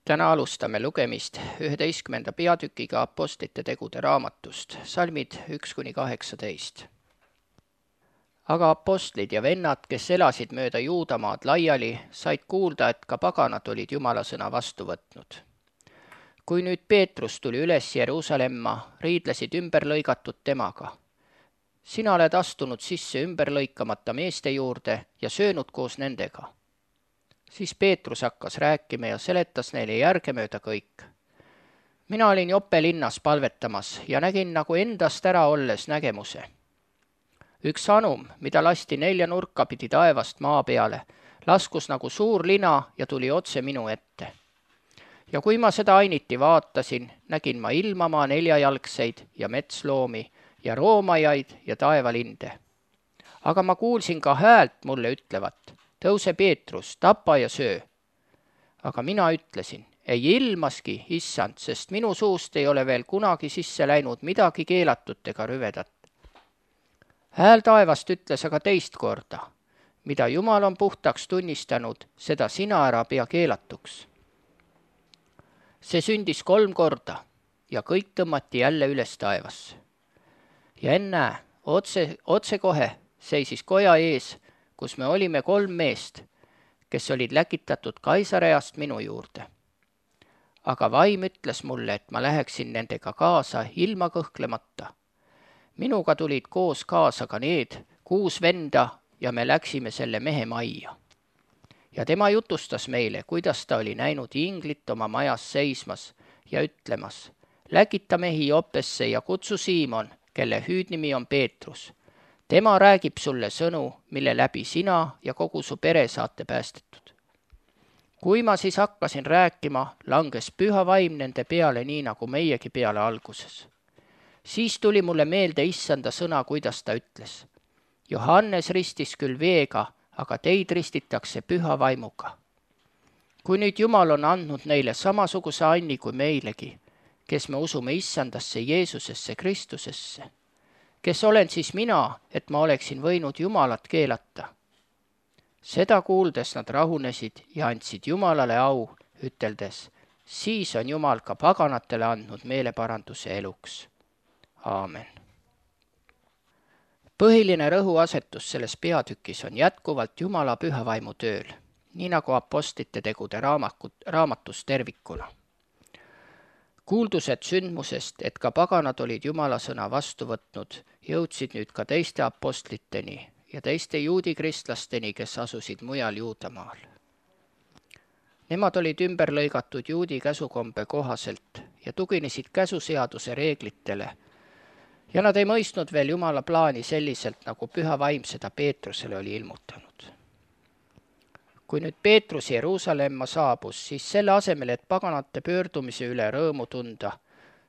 Täna alustame lugemist 11. peatükiga Apostlite tegude raamatust, salmid 1-18. Aga apostlid ja vennad, kes elasid mööda Juudamaad laiali, said kuulda, et ka paganad olid Jumala sõna vastu võtnud. Kui nüüd Peetrus tuli üles Jeruusalemma, riidlesid ümberlõigatud temaga. Sina oled astunud sisse ümberlõikamata meeste juurde ja söönud koos nendega. Siis Peetrus hakkas rääkima ja seletas neile järgemööda kõik. Mina olin Joppe linnas palvetamas ja nägin nagu endast ära olles nägemuse. Üks anum, mida lasti 4 nurka pidi taevast maa peale, laskus nagu suur lina ja tuli otse minu ette. Ja kui ma seda ainiti vaatasin, nägin ma ilmamaa 4-jalgseid ja metsloomi ja roomajaid ja taevalinde. Aga ma kuulsin ka häält mulle ütlevat, tõuse Peetrus, tapa ja söö. Aga mina ütlesin, ei ilmaski, issand, sest minu suust ei ole veel kunagi sisse läinud midagi keelatut ega rüvedat. Hääl taevast ütles aga teist korda, mida Jumal on puhtaks tunnistanud, seda sina ära pea keelatuks. See sündis 3 korda ja kõik tõmmati jälle üles taevasse. Ja ennäe, otsekohe seisis koja ees, kus me olime 3 meest, kes olid läkitatud Kaisareast minu juurde. Aga vaim ütles mulle, et ma läheksin nendega kaasa ilma kõhklemata. Minuga tulid koos kaasa ka need 6 venda ja me läksime selle mehe majja. Ja tema jutustas meile, kuidas ta oli näinud inglit oma majas seismas ja ütlemas, läkita mehi Joppesse ja kutsu Siimon, kelle hüüdnimi on Peetrus. Tema räägib sulle sõnu, mille läbi sina ja kogu su pere saate päästetud. Kui ma siis hakkasin rääkima, langes püha vaim nende peale nii nagu meiegi peale alguses. Siis tuli mulle meelde issanda sõna, kuidas ta ütles. Johannes ristis küll veega, aga teid ristitakse püha vaimuga. Kui nüüd Jumal on andnud neile samasuguse anni kui meilegi, kes me usume issandasse Jeesusesse Kristusesse, kes olen siis mina, et ma oleksin võinud Jumalat keelata. Seda kuuldes nad rahunesid ja andsid Jumalale au, üteldes, siis on Jumal ka paganatele andnud meeleparanduse eluks. Aamen. Põhiline rõhuasetus selles peatükis on jätkuvalt Jumala püha vaimu tööl, nii nagu Apostlite tegude raamatus tervikuna. Kuuldused sündmusest, et ka paganad olid Jumala sõna vastu võtnud, jõudsid nüüd ka teiste apostliteni ja teiste juudi kristlasteni, kes asusid mujal Juudamaal. Nemad olid ümber lõigatud juudi käsukombe kohaselt ja tuginesid käsuseaduse reeglitele ja nad ei mõistnud veel Jumala plaani selliselt, nagu püha vaim seda Peetrusele oli ilmutanud. Kui nüüd Peetrus Jeruusalemma saabus, siis selle asemel, et paganate pöördumise üle rõõmu tunda,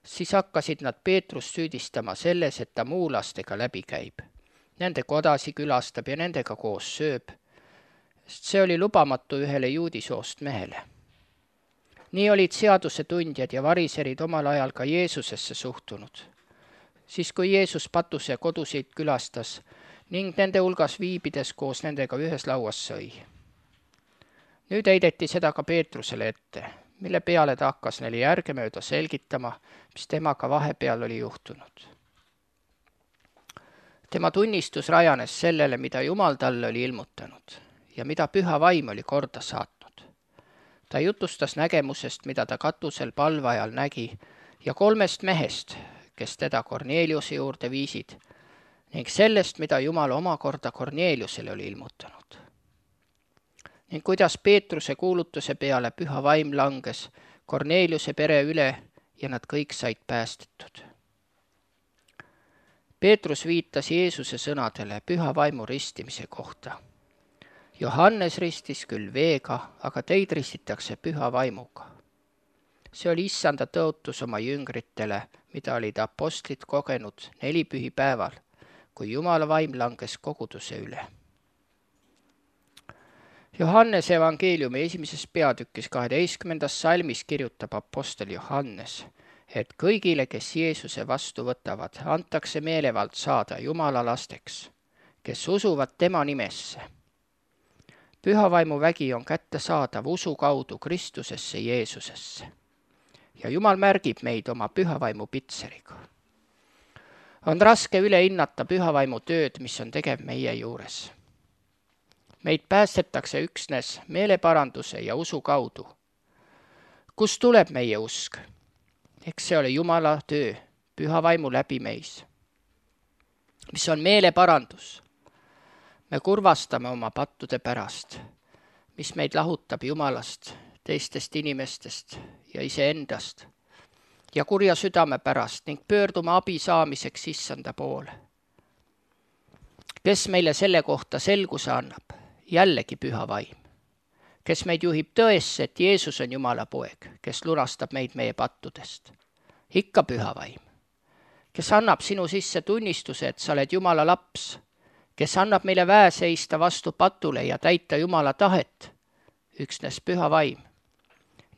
siis hakkasid nad Peetrust süüdistama selles, et ta muulastega läbi käib. Nende kodasi külastab ja nendega koos sööb, sest see oli lubamatu ühele juudisoost mehele. Nii olid seaduse tundjad ja variserid omal ajal ka Jeesusesse suhtunud. Siis kui Jeesus patuse kodusid külastas ning nende hulgas viibides koos nendega ühes lauas sõi. Nüüd heideti seda ka Peetrusele ette, mille peale ta hakkas neile järgemööda selgitama, mis temaga vahepeal oli juhtunud. Tema tunnistus rajanes sellele, mida Jumal talle oli ilmutanud ja mida püha vaim oli korda saatnud. Ta jutustas nägemusest, mida ta katusel palve ajal nägi ja 3 mehest, kes teda Korneeliuse juurde viisid, ning sellest, mida Jumal omakorda Korneeliusele oli ilmutanud. Ning kuidas Peetruse kuulutuse peale püha vaim langes Korneeliuse pere üle ja nad kõik said päästetud. Peetrus viitas Jeesuse sõnadele püha vaimu ristimise kohta. Johannes ristis küll veega, aga teid ristitakse püha vaimuga. See oli issanda tõotus oma jüngritele, mida olid apostlid kogenud 4 pühipäeval, kui Jumala vaim langes koguduse üle. Johannese evangeeliumi 1. peatükis 12. salmis kirjutab apostel Johannes, et kõigile, kes Jeesuse vastu võtavad, antakse meelevald saada Jumala lasteks, kes usuvad tema nimesse. Pühavaimu vägi on kättesaadav usu kaudu Kristusesse Jeesusesse. Ja Jumal märgib meid oma pühavaimu pitseriga. On raske üle hinnata pühavaimu tööd, mis on tegev meie juures. Meid päästetakse üksnes meeleparanduse ja usu kaudu. Kust tuleb meie usk? Eks see ole Jumala töö, pühavaimu läbi meis. Mis on meeleparandus? Me kurvastame oma pattude pärast, mis meid lahutab Jumalast, teistest inimestest ja iseendast ja kurja südame pärast ning pöördume abi saamiseks Issanda poole. Kes meile selle kohta selguse annab? Jällegi püha vaim. Kes meid juhib tõesse, et Jeesus on Jumala poeg, kes lunastab meid meie pattudest? Ikka püha vaim. Kes annab sinu sisse tunnistuse, et sa oled Jumala laps? Kes annab meile väe seista vastu patule ja täita Jumala tahet? Üksnes püha vaim.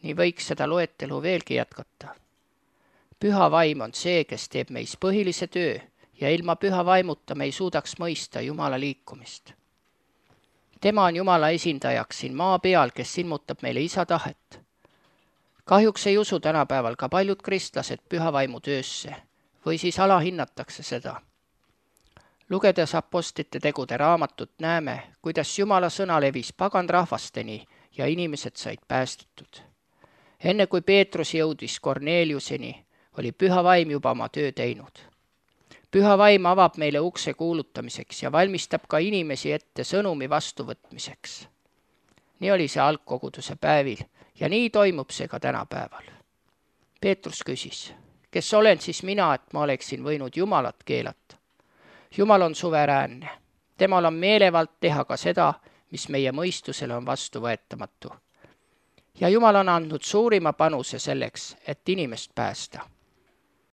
Nii võiks seda loetelu veelgi jätkata. Püha vaim on see, kes teeb meis põhilise töö ja ilma püha vaimuta me ei suudaks mõista Jumala liikumist. Tema on Jumala esindajaks siin maa peal, kes ilmutab meile isa tahet. Kahjuks ei usu tänapäeval ka paljud kristlased püha vaimu töösse või siis alahinnatakse seda. Lugedes apostlite tegude raamatut näeme, kuidas Jumala sõna levis pagan rahvasteni ja inimesed said päästetud. Enne kui Peetrus jõudis Korneliuseni, oli püha vaim juba oma töö teinud. Püha vaim avab meile ukse kuulutamiseks ja valmistab ka inimesi ette sõnumi vastuvõtmiseks. Nii oli see algkoguduse päevil ja nii toimub see ka tänapäeval. Peetrus küsis, kes olen siis mina, et ma oleksin võinud Jumalat keelata? Jumal on suveräänne. Temal on meelevald teha ka seda, mis meie mõistusele on vastuvõetamatu. Ja Jumal on andnud suurima panuse selleks, et inimest päästa.